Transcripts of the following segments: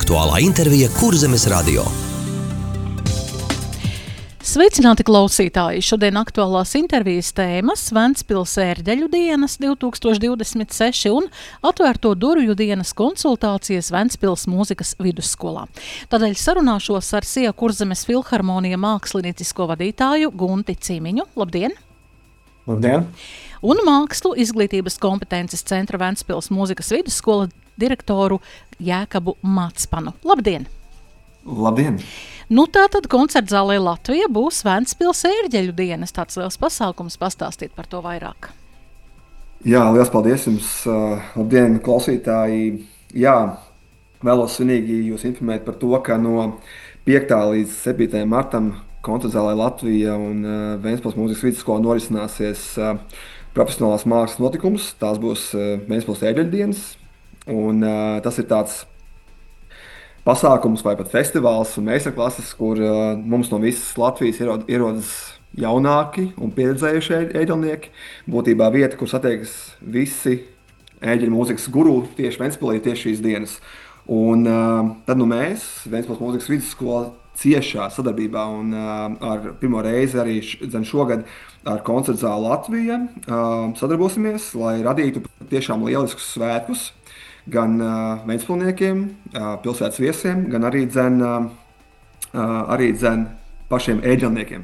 aktuālā intervija Kurzemes radio. Sveicināti klausītāji! Šodien aktuālās intervijas tēmas Ventspils ērģeļu dienas 2026 un atvērto durvju dienas konsultācijas Ventspils mūzikas vidusskolā. Tādēļ sarunāšos ar SIA Kurzemes filharmonija māksliniecisko vadītāju Gunti Cimiņu. Labdien! Labdien! Un mākslu izglītības kompetences centra Ventspils mūzikas vidusskola direktoru Jēkabu Matspanu. Labdien! Labdien! Tātad koncertzālē Latvija būs Ventspils ērģeļu dienas. Tāds liels pasākums, pastāstīt par to vairāk. Jā, liels paldies jums! Labdien, klausītāji! Jā, vēlos svinīgi jūs informēt par to, ka no 5. līdz 7. martam koncertzālē Latvija un Ventspils mūzikas vidusskola norisināsies profesionālās mākslas notikums. Tās būs Ventspils ērģeļu dienas. Un tas ir tāds pasākums vai pat festivāls un meistarklases, kur mums no visas Latvijas ierodas jaunāki un pieredzējuši ērģelnieki. Būtībā vieta, kur satiekas visi ērģeļu mūzikas guru tieši Ventspilī tieši šīs dienas. Un tad mēs, Ventspils mūzikas vidusskola, ciešā sadarbībā un ar pirmo reizi arī šogad ar koncertzāli Latvija sadarbosimies, lai radītu tiešām lieliskus svētkus gan ventspilniekiem, pilsētas viesiem, gan arī pašiem ērģelniekiem.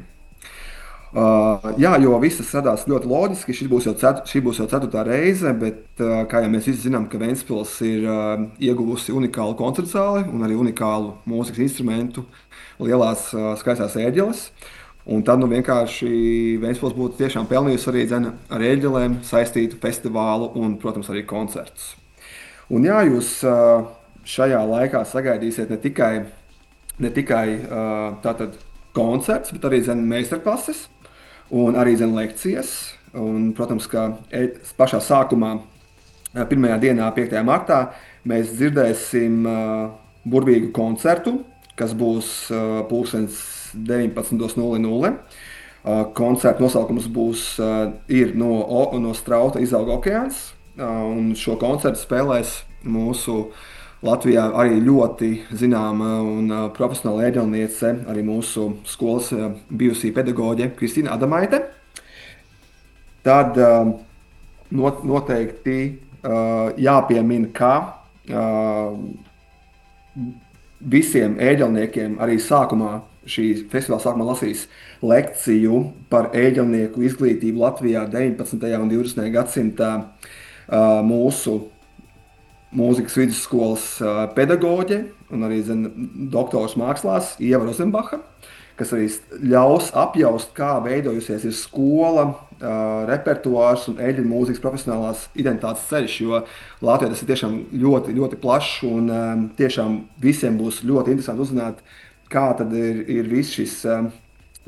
Jā, jo visas radās ļoti loģiski. Šī būs jau 4. reize, bet kā jau mēs visi zinām, ka Ventspils ir ieguvusi unikālu koncertzāli un arī unikālu mūzikas instrumentu, lielās skaistās ērģeles. Un tad vienkārši Ventspils būtu tiešām pelnījusi arī ar ērģelēm saistītu festivālu un, protams, arī koncertus. Un jā, jūs šajā laikā sagaidīsiet ne tikai tātad koncerts, bet arī meistarklases un arī lekcijas. Un, protams, ka pašā sākumā, pirmajā dienā, 5. martā, mēs dzirdēsim burvīgu koncertu, kas būs 19:00. Koncerta nosaukums ir no Strauta izauga okeāns. Un šo koncertu spēlēs mūsu Latvijā arī ļoti zināma un profesionāla ērģelniece, arī mūsu skolas bijusī pedagoģe Kristīna Adamaite. Tad noteikti jāpiemina, ka visiem ērģelniekiem arī šī festivāla sākumā lasīs lekciju par ērģelnieku izglītību Latvijā 19. un 20. gadsimtā. Mūsu mūzikas vidusskolas pedagoģe un arī doktors mākslās Ieva Rozenbacha, kas arī ļaus apjaust, kā veidojusies ir skola, repertuārs un ērģeļu mūzikas profesionālās identitātes ceļš, jo Latvijā tas ir tiešām ļoti, ļoti plašs un tiešām visiem būs ļoti interesanti uzzināt, kā tad ir viss šis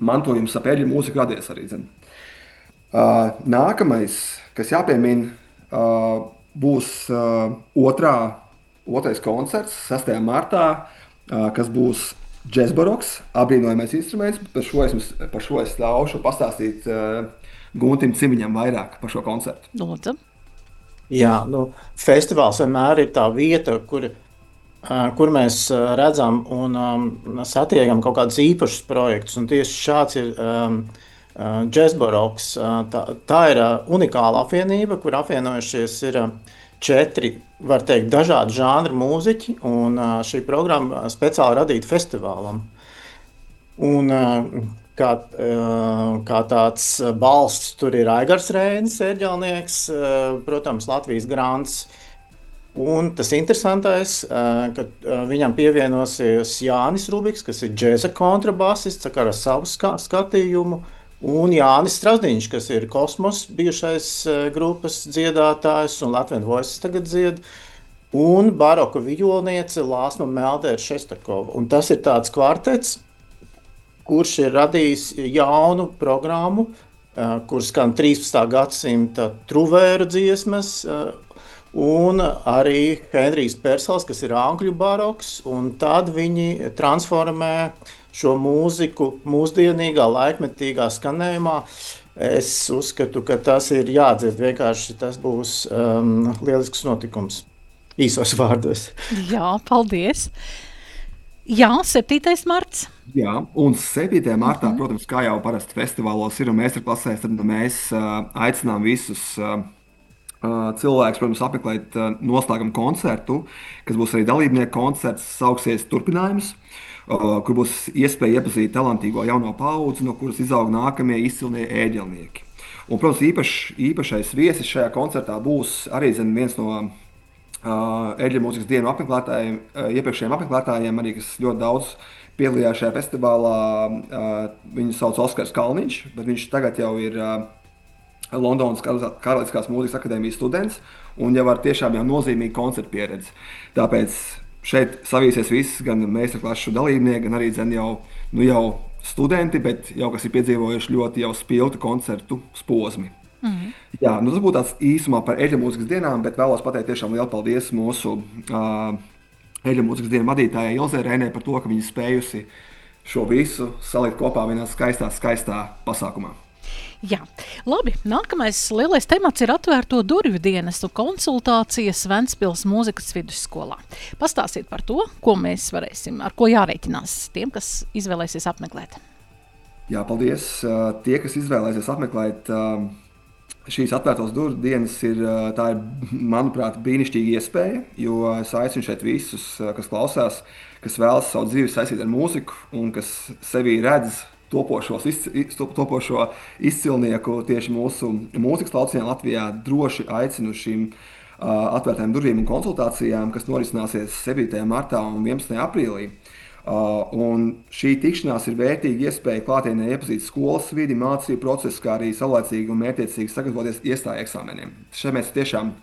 mantojums ap ērģeļu mūziku radies arī. Nākamais, kas jāpiemina, būs otrais koncerts 6. martā, kas būs džezbaroks, apbrīnojamais instruments. Par šo es ļaušu pastāstīt Guntim Cimiņam vairāk par šo koncertu. Lūdzu. Jā, festivāls vienmēr ir tā vieta, kur mēs redzam un satiekam kaut kādus īpašus projektus. Un tieši šāds ir džezbaroks. Tā ir unikāla apvienība, kur apvienojušies ir 4, var teikt, dažādi žanri mūziķi, un šī programma speciāli radīta festivālam. Un kā tāds balsts tur ir Aigars Rēnis, ērģelnieks, protams, Latvijas grants. Un tas interesantais, ka viņam pievienosies Jānis Rubiks, kas ir džeza kontrabasists ar savu skatījumu, un Jānis Strasdiņš, kas ir Kosmos bijušais grupas dziedātājs un Latvian Voices tagad dzied, un baroka violniece Lāsma Meldēra Šestakova. Un tas ir tāds kvartets, kurš ir radījis jaunu programmu, kur skan 13. gadsimta truvēru dziesmas, un arī Henrijs Persels, kas ir angļu baroks, un tad viņi transformē šo mūziku mūsdienīgā, laikmetīgā skanējumā. Es uzskatu, ka tas ir jādzird vienkārši, tas būs lielisks notikums. īsos vārdos. Jā, paldies. Jā, 7. marts. Jā, un 7. martā, protams, kā jau parasti festivālos ir un meistarklasēs, tad mēs aicinām visus cilvēkus, protams, apmeklēt noslēguma koncertu, kas būs arī dalībnieku koncerts, sauksies Turpinājums, kur būs iespēja iepazīt talantīgo jauno paudzi, no kuras izaug nākamie izcilnie ēģelnieki. Un, protams, īpašais viesis šajā koncertā būs arī viens no Eļļu mūzikas dienu apmeklētājiem, iepriekšējiem apmeklētājiem, arī, kas ļoti daudz piedalījās šajā festivālā. Viņu sauc Oskars Kalniņš, bet viņš tagad jau ir Londonas Karaliskās mūzikas akadēmijas students un jau ar tiešām jau nozīmīgu koncertu pieredzi. Tāpēc šeit savīsies visi, gan meistarklašu dalībnieki, gan arī jau studenti, bet jau kas ir piedzīvojuši ļoti jau spilgtu koncertu posmu. Jā, tas būtu tāds īsumā par Eļļu mūzikas dienām, bet vēlos pateikt tiešām lielu paldies mūsu Eļļu mūzikas dienu vadītājai Ilzei Reinei par to, ka viņa spējusi šo visu salikt kopā vienā skaistā pasākumā. Jā, labi. Nākamais lielais temats ir atvērto durvju dienestu konsultācijas Ventspils mūzikas vidusskolā. Pastāstiet par to, ko mēs varēsim, ar ko jārēķinās tiem, kas izvēlēsies apmeklēt. Jā, paldies. Tie, kas izvēlēsies apmeklēt šīs atvērtās durvju dienas, tā ir, manuprāt, brīnišķīga iespēja, jo es aicinu šeit visus, kas klausās, kas vēlas savu dzīvi saistīt ar mūziku un kas sevī redz topošo izcilnieku tieši mūsu mūzikas lauciņā Latvijā, droši aicinu šīm atvērtām durvīm un konsultācijām, kas norisināsies 7. martā un 11. aprīlī. Un šī tikšanās ir vērtīga iespēja klātienē iepazīt skolas vidi, mācību procesu, kā arī saulēcīgi un mērķiecīgi sagatavoties iestāju eksāmeniem. Šeit mēs tiešām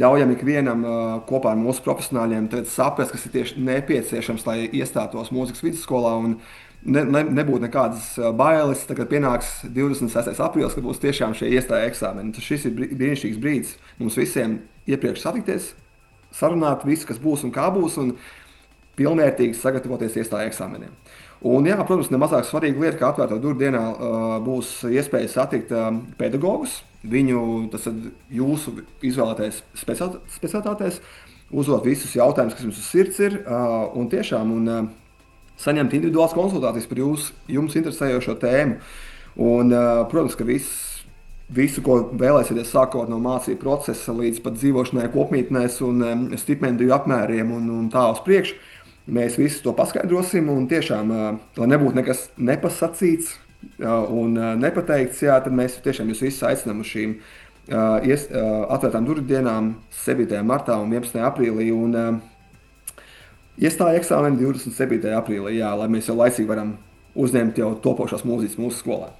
ļaujam ikvienam kopā ar mūsu profesionāļiem saprast, kas ir tieši nepieciešams, lai iestātos mūzikas vidusskolā un nebūtu nekādas bailes. Tagad pienāks 26. aprīlis, kad būs tiešām šie iestāju eksāmeni. Šis ir brīnišķīgs brīdis mums visiem iepriekš satikties, sarunāt visu, kas būs un kā būs, un pilnvērtīgi sagatavoties iestāju eksāmeniem. Un, jā, protams, nemazāk svarīga lieta, ka atvērto durvju dienā būs iespēja satikt pedagogus, jūsu izvēlētais specialitātēs, uzdot visus jautājumus, kas jums uz sirds ir, un tiešām saņemt individuālas konsultācijas par jums interesējošo tēmu. Un, protams, ka visu, ko vēlēsieties, sākot no mācību procesa līdz pat dzīvošanai kopmītnēs un stipendiju apmēriem un tā uz priekšu, mēs visu to paskaidrosim, un tiešām, lai nebūtu nekas nepasacīts un nepateikts, jā, tad mēs tiešām jūs visus aicinām uz šīm atvērtām durvju dienām 7. martā un 11. aprīlī, un iestāja eksāmeni 27. aprīlī, jā, lai mēs jau laicīgi varam uzņemt jau topošās mūzikas mūsu skolā.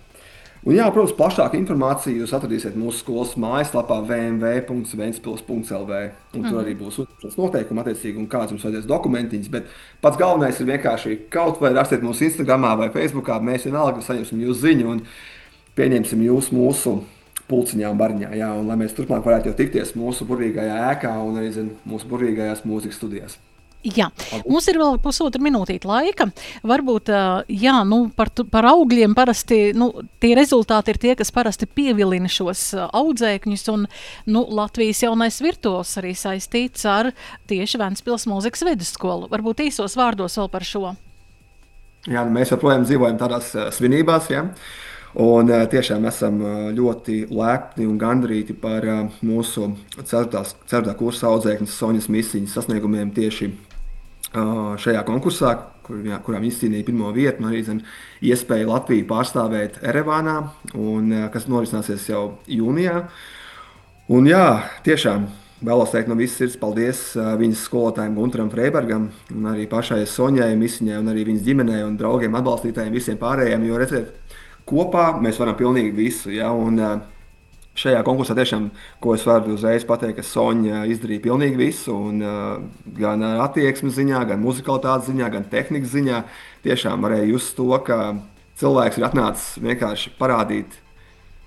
Un, jā, protams, plašāku informāciju jūs atradīsiet mūsu skolas mājaslapā www.ventspils.lv. Tur arī būs noteikumi attiecīgi un kāds jums vajadzēs dokumentiņas, bet pats galvenais ir vienkārši kaut vai rakstiet mums Instagramā vai Facebookā, mēs vienalga saņemsim jūsu ziņu un pieņemsim jūs mūsu pulciņā un bariņā, jā, un lai mēs turpmāk varētu jau tikties mūsu burvīgajā ēkā un arī mūsu burvīgajās mūzikas studijās. Jā, mums ir vēl pusotra minūtīte laika. Varbūt, jā, par augļiem parasti, tie rezultāti ir tie, kas parasti pievilina šos audzēkņus, un, Latvijas jaunais virtuos arī saistīts ar tieši Ventspils mūzikas vidusskolu. Varbūt īsos vārdos vēl par šo. Jā, mēs joprojām dzīvojam tādās svinībās, jā. Un tiešām esam ļoti lepni un gandrīti par mūsu 4. kursa audzēkņas Soņas Misiņas sasniegumiem tieši šajā konkursā, kurā viņi izcīnīja 1. vietu, un arī iespēja Latviju pārstāvēt Erevānā, kas norisināsies jau jūnijā. Un jā, tiešām vēlos teikt no visas sirds paldies viņas skolotājiem Guntaram Freibergam, un arī pašai Soņai Misiņai, un arī viņas ģimenei un draugiem, atbalstītājiem, visiem pārējiem, jo redziet, kopā mēs varam pilnīgi visu, ja, un šajā konkursā tiešām, ko es varu uzreiz pateikt, ka Soņa izdarīja pilnīgi visu, un gan attieksmes ziņā, gan muzikalitātes ziņā, gan tehnikas ziņā, tiešām varēja just to, ka cilvēks ir atnācis vienkārši parādīt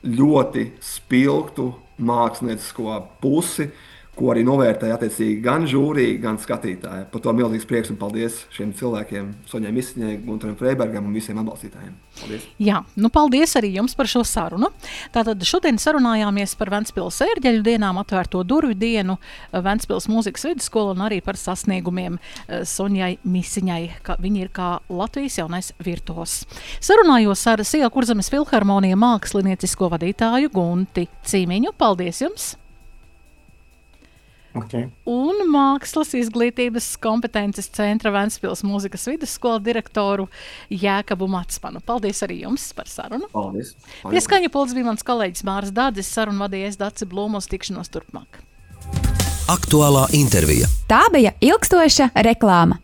ļoti spilgtu māksliniecisko pusi, ko arī novērtēja attiecīgi gan žūrija, gan skatītāji. Par to milzīgs prieks un paldies šiem cilvēkiem, Soņai Misiņai, Gunteram Freibergam un visiem atbalstītājiem. Paldies! Jā, paldies arī jums par šo sarunu. Tātad šodien sarunājāmies par Ventspils ērģeļu dienām, atvērto durvju dienu, Ventspils mūzikas vidusskolu un arī par sasniegumiem Soņai Misiņai, ka viņi ir kā Latvijas jaunais virtuos. Sarunājos ar Sīla Kurzemes filharmonija māksliniecisko vadītāju Gunti Cīmiņu. Paldies jums! Okay. Un Mākslas izglītības kompetences centra Ventspils mūzikas vidusskola direktoru Jēkabu Matspanu. Paldies arī jums par sarunu. Paldies. Pie skaņa pults bija mans kolēģis Māris Dādzis, sarunu vadījies Daci Blūmos, tikšanos turpmāk. Aktuālā intervija. Tā bija ilgstoša reklāma.